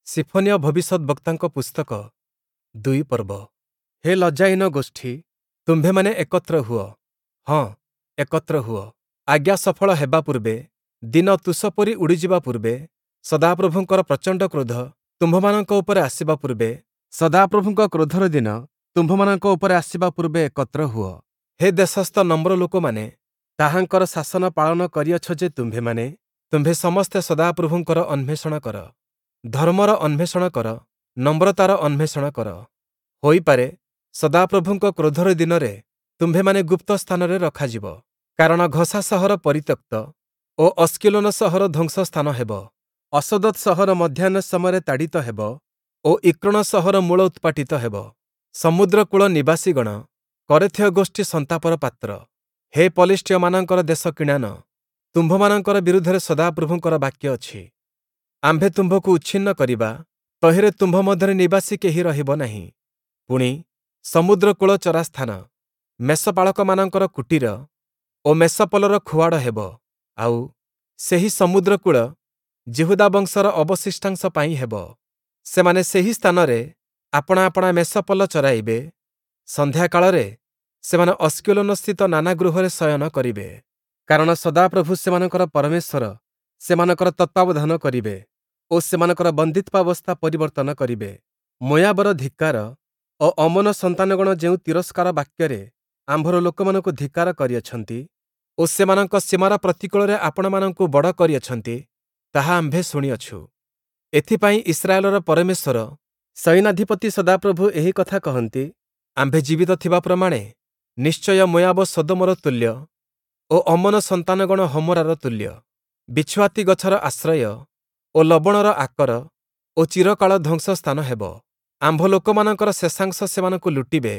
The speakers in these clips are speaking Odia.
ସିଫନୀୟ ଭବିଷ୍ୟଦ୍‌ବକ୍ତାଙ୍କ ପୁସ୍ତକ, 2 ପର୍ବ। ହେ ଲଜ୍ଜାହୀନ ଗୋଷ୍ଠୀ, ତୁମ୍ଭେମାନେ ଏକତ୍ର ହୁଅ, ହଁ, ଏକତ୍ର ହୁଅ। ଆଜ୍ଞା ସଫଳ ହେବା ପୂର୍ବେ, ଦିନ ତୁଷ ପରି ଉଡ଼ିଯିବା ପୂର୍ବେ, ସଦାପ୍ରଭୁଙ୍କର ପ୍ରଚଣ୍ଡ କ୍ରୋଧ ତୁମ୍ଭମାନଙ୍କ ଉପରେ ଆସିବା ପୂର୍ବେ, ସଦାପ୍ରଭୁଙ୍କ କ୍ରୋଧର ଦିନ ତୁମ୍ଭମାନଙ୍କ ଉପରେ ଆସିବା ପୂର୍ବେ ଏକତ୍ର ହୁଅ। ହେ ଦେଶସ୍ଥ ନମ୍ର ଲୋକମାନେ, ତାହାଙ୍କର ଶାସନ ପାଳନ କରିଅଛ ଯେ ତୁମ୍ଭେମାନେ, ତୁମ୍ଭେ ସମସ୍ତେ ସଦାପ୍ରଭୁଙ୍କର ଅନ୍ୱେଷଣ କର। ଧର୍ମର ଅନ୍ୱେଷଣ କର, ନମ୍ରତାର ଅନ୍ୱେଷଣ କର। ହୋଇପାରେ, ସଦାପ୍ରଭୁଙ୍କ କ୍ରୋଧର ଦିନରେ ତୁମ୍ଭେମାନେ ଗୁପ୍ତ ସ୍ଥାନରେ ରଖାଯିବ। କାରଣ ଘସା ସହର ପରିତ୍ୟକ୍ତ ଓ ଅସ୍କିଲୋନ ସହର ଧ୍ୱଂସ ସ୍ଥାନ ହେବ। ଅଶଦୋତ୍ ସହର ମଧ୍ୟାହ୍ନ ସମୟରେ ତାଡ଼ିତ ହେବ ଓ ଇକ୍ରୋଣ ସହର ମୂଳ ଉତ୍ପାଟିତ ହେବ। ସମୁଦ୍ରକୂଳ ନିବାସୀଗଣ, କରେଥୀୟ ଗୋଷ୍ଠୀ ସନ୍ତାପର ପାତ୍ର। ହେ ପଲେଷ୍ଟୀୟମାନଙ୍କର ଦେଶ କିଣାନ, ତୁମ୍ଭମାନଙ୍କର ବିରୁଦ୍ଧରେ ସଦାପ୍ରଭୁଙ୍କର ବାକ୍ୟ ଅଛି। ଆମ୍ଭେ ତୁମ୍ଭକୁ ଉଚ୍ଛିନ୍ନ କରିବା, ତହିଁରେ ତୁମ୍ଭ ମଧ୍ୟରେ ନିବାସୀ କେହି ରହିବ ନାହିଁ। ପୁଣି, ସମୁଦ୍ରକୂଳ ଚରାସ୍ଥାନ, ମେଷପାଳକମାନଙ୍କର କୁଟୀର ଓ ମେଷପଲର ଖୁଆଡ଼ ହେବ। ଆଉ, ସେହି ସମୁଦ୍ରକୂଳ ଯିହୁଦା ବଂଶର ଅବଶିଷ୍ଟାଂଶ ପାଇଁ ହେବ। ସେମାନେ ସେହି ସ୍ଥାନରେ ଆପଣା ଆପଣା ମେଷପଲ ଚରାଇବେ। ସନ୍ଧ୍ୟାକାଳରେ ସେମାନେ ଅସ୍କିଲୋନସ୍ଥିତ ନାନା ଗୃହରେ ଶୟନ କରିବେ। କାରଣ ସଦାପ୍ରଭୁ ସେମାନଙ୍କର ପରମେଶ୍ୱର ସେମାନଙ୍କର ତତ୍ତ୍ୱାବଧାନ କରିବେ ଓ ସେମାନଙ୍କର ବନ୍ଦିତ୍ୱାବସ୍ଥା ପରିବର୍ତ୍ତନ କରିବେ। ମୋୟାବର ଧିକ୍କାର ଓ ଅମ୍ମୋନ ସନ୍ତାନଗଣ ଯେଉଁ ତିରସ୍କାର ବାକ୍ୟରେ ଆମ୍ଭର ଲୋକମାନଙ୍କୁ ଧିକ୍କାର କରିଅଛନ୍ତି ଓ ସେମାନଙ୍କ ସୀମାର ପ୍ରତିକୂଳରେ ଆପଣାମାନଙ୍କୁ ବଡ଼ କରିଅଛନ୍ତି, ତାହା ଆମ୍ଭେ ଶୁଣିଅଛୁ। ଏଥିପାଇଁ ଇସ୍ରାଏଲର ପରମେଶ୍ୱର ସୈନ୍ୟାଧିପତି ସଦାପ୍ରଭୁ ଏହି କଥା କହନ୍ତି, ଆମ୍ଭେ ଜୀବିତ ଥିବା ପ୍ରମାଣେ ନିଶ୍ଚୟ ମୋୟାବ ସଦୋମର ତୁଲ୍ୟ ଓ ଅମ୍ମୋନ ସନ୍ତାନଗଣ ହମୋରାର ତୁଲ୍ୟ, ବିଛୁଆତି ଗଛର ଆଶ୍ରୟ ଓ ଲବଣର ଆକର ଓ ଚିରକାଳ ଧ୍ୱଂସ ସ୍ଥାନ ହେବ। ଆମ୍ଭ ଲୋକମାନଙ୍କର ଶେଷାଂଶ ସେମାନଙ୍କୁ ଲୁଟିବେ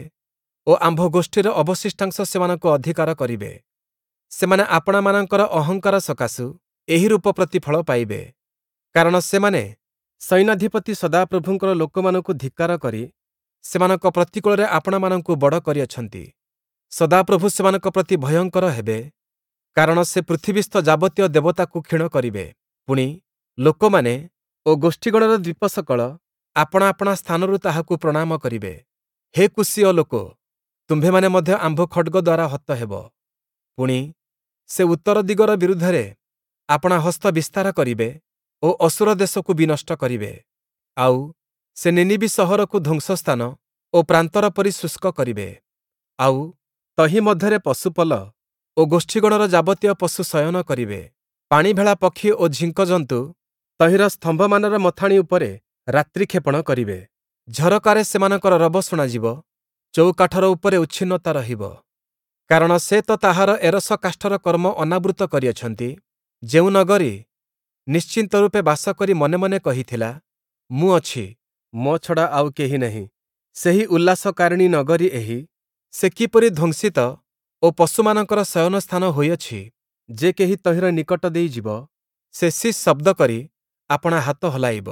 ଓ ଆମ୍ଭ ଗୋଷ୍ଠୀର ଅବଶିଷ୍ଟାଂଶ ସେମାନଙ୍କୁ ଅଧିକାର କରିବେ। ସେମାନେ ଆପଣାମାନଙ୍କର ଅହଙ୍କାର ସକାଶୁ ଏହି ରୂପ ପ୍ରତିଫଳ ପାଇବେ। କାରଣ ସେମାନେ ସୈନ୍ୟାଧିପତି ସଦାପ୍ରଭୁଙ୍କର ଲୋକମାନଙ୍କୁ ଧିକ୍କାର କରି ସେମାନଙ୍କ ପ୍ରତିକୂଳରେ ଆପଣାମାନଙ୍କୁ ବଡ଼ କରିଅଛନ୍ତି। ସଦାପ୍ରଭୁ ସେମାନଙ୍କ ପ୍ରତି ଭୟଙ୍କର ହେବେ, କାରଣ ସେ ପୃଥିବୀସ୍ଥ ଯାବତୀୟ ଦେବତାକୁ କ୍ଷୀଣ କରିବେ। ପୁଣି, ଲୋକମାନେ ଓ ଗୋଷ୍ଠୀଗଣର ଦ୍ୱୀପସକଳ ଆପଣା ଆପଣା ସ୍ଥାନରୁ ତାହାକୁ ପ୍ରଣାମ କରିବେ। ହେ କୂଶୀୟ ଲୋକ, ତୁମ୍ଭେମାନେ ମଧ୍ୟ ଆମ୍ଭ ଖଡ଼୍ଗ ଦ୍ୱାରା ହତ ହେବ। ପୁଣି, ସେ ଉତ୍ତର ଦିଗର ବିରୁଦ୍ଧରେ ଆପଣା ହସ୍ତ ବିସ୍ତାର କରିବେ ଓ ଅଶୂର ଦେଶକୁ ବିନଷ୍ଟ କରିବେ। ଆଉ, ସେ ନିନିବୀ ସହରକୁ ଧ୍ୱଂସସ୍ଥାନ ଓ ପ୍ରାନ୍ତର ପରି ଶୁଷ୍କ କରିବେ। ଆଉ, ତହିଁ ମଧ୍ୟରେ ପଶୁପଲ ଓ ଗୋଷ୍ଠୀଗଣର ଯାବତୀୟ ପଶୁ ଶୟନ କରିବେ। ପାଣିଭେଳା ପକ୍ଷୀ ଓ ଝିଙ୍କଜନ୍ତୁ ତହିଁର ସ୍ତମ୍ଭମାନର ମଥାଣି ଉପରେ ରାତ୍ରିକ୍ଷେପଣ କରିବେ। ଝରକାରେ ସେମାନଙ୍କର ରବ ଶୁଣାଯିବ, ଚୌକାଠର ଉପରେ ଉଚ୍ଛିନ୍ନତା ରହିବ। କାରଣ ସେ ତ ତାହାର ଏରସ କାଷ୍ଠର କର୍ମ ଅନାବୃତ କରିଅଛନ୍ତି। ଯେଉଁ ନଗରୀ ନିଶ୍ଚିନ୍ତ ରୂପେ ବାସ କରି ମନେ ମନେ କହିଥିଲା, ମୁଁ ଅଛି, ମୋ ଛଡ଼ା ଆଉ କେହି ନାହିଁ, ସେହି ଉଲ୍ଲାସକାରିଣୀ ନଗରୀ ଏହି, ସେ କିପରି ଧ୍ୱଂସିତ ଓ ପଶୁମାନଙ୍କର ଶୟନ ସ୍ଥାନ ହୋଇଅଛି! ଯେ କେହି ତହିଁର ନିକଟ ଦେଇ ଯିବ, ସେ ଶିସ୍ ଶବ୍ଦ କରି ଆପଣା ହାତ ହଲାଇବ।